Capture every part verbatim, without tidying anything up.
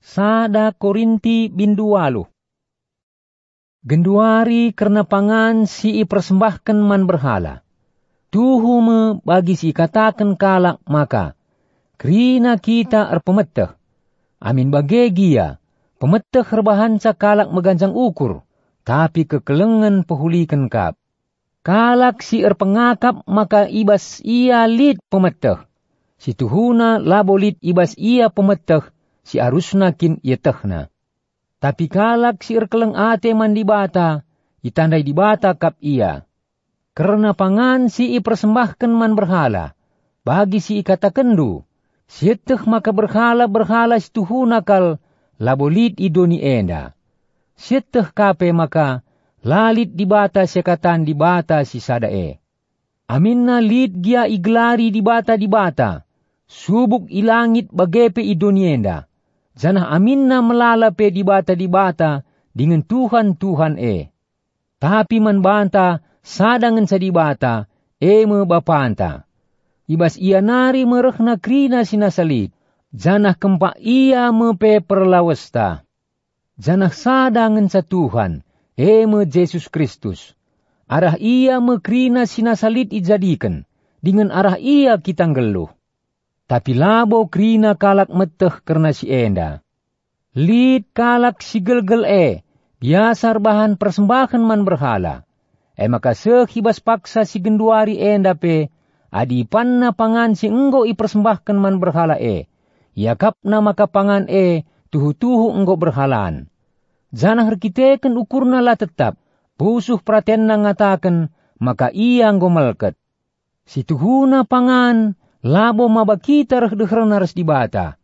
Sada Korinti bindu waluh. Genduari kerna pangan si ipersembahken man berhala. Tuhu me bagi si ikataken kalak maka, "Kerina kita erpemeteh." Amin bage gia, pemeteh erbahanca kalak meganjang ukur, tapi kekelengen pehuliken kap. Kalak si erpengakap maka i bas ia lit pemeteh, si tuhuna labo lit i bas ia pemeteh si arusna kin ietehna. Tapi kalak si erkeleng ate man Dibata, itandai Dibata kap ia. Kerna pangan si ipersembahken man berhala, bagi si ikatakenndu, sieteh maka berhala-berhala si tuhuna kal labo lit i doni enda. Sieteh ka pe maka la lit Dibata seakatan Dibata si sada e. Aminna lit gia igelari dibata-dibata, subuk i langit bage pe i doni enda, janah aminna melala pe dibata-dibata dingen tuhan-tuhan e. Tapi man banta sada ngenca Dibata, e me Bapanta. I bas Ia nari me rehna kerina si nasa lit, janah kempak Ia me pe perlawesta. Janah sada ngenca Tuhan, e me Jesus Kristus. Arah Ia me kerina si nasa lit ijadiken, dingen arah Ia kita nggeluh. Tapi labo kerina kalak meteh kerna si enda. Lit kalak si gelgel e, biasa erbahan persembahen man berhala. E maka seh i bas paksa si genduari enda pe, adi ipanna pangan si enggo ipersembahken man berhala e, iakapna maka pangan e tuhu-tuhu enggo berhalan. Janah erkiteken ukurna la tetap, pusuh peratenna ngataken maka ia enggo melket. Si tuhuna pangan labo maba kita reh deherna ras Dibata.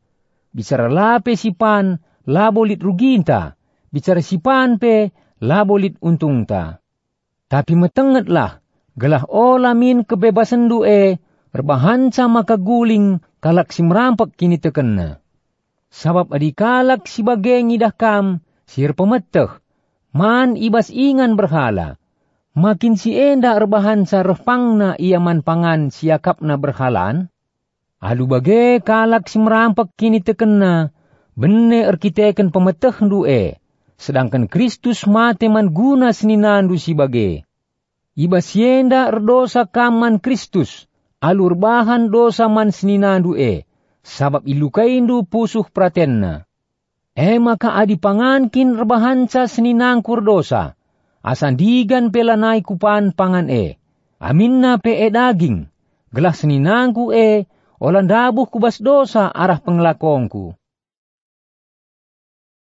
Bicara la pe sipan labo lit ruginta, bicara sipan pe labo lit untungta. Tapi metengetlah, gelah ola min kebebasenndu e erbahanca maka guling kalak si merampek kinitekenna. Sabap adi kalak si bage ngidah kam si erpemeteh man i bas ingan berhala, ma kin si enda erbahanca reh pangna ia man pangan si iakapna berhalan? Alu bage kalak si merampek kinitekenna bene erkiteken pemetehndu e, sedangken Kristus mate man guna seninandu si bage. I bas si enda erdosa kam man Kristus, alu erbahan dosa man seninandu e, sabap ilukaindu pusuh peratenna. E maka adi pangan kin erbahanca seninangku erdosa, asa ndigan pe lanai kupan pangan e, aminna pe e daging, gelah seninangku e ola ndabuh ku bas dosa arah pengelakongku.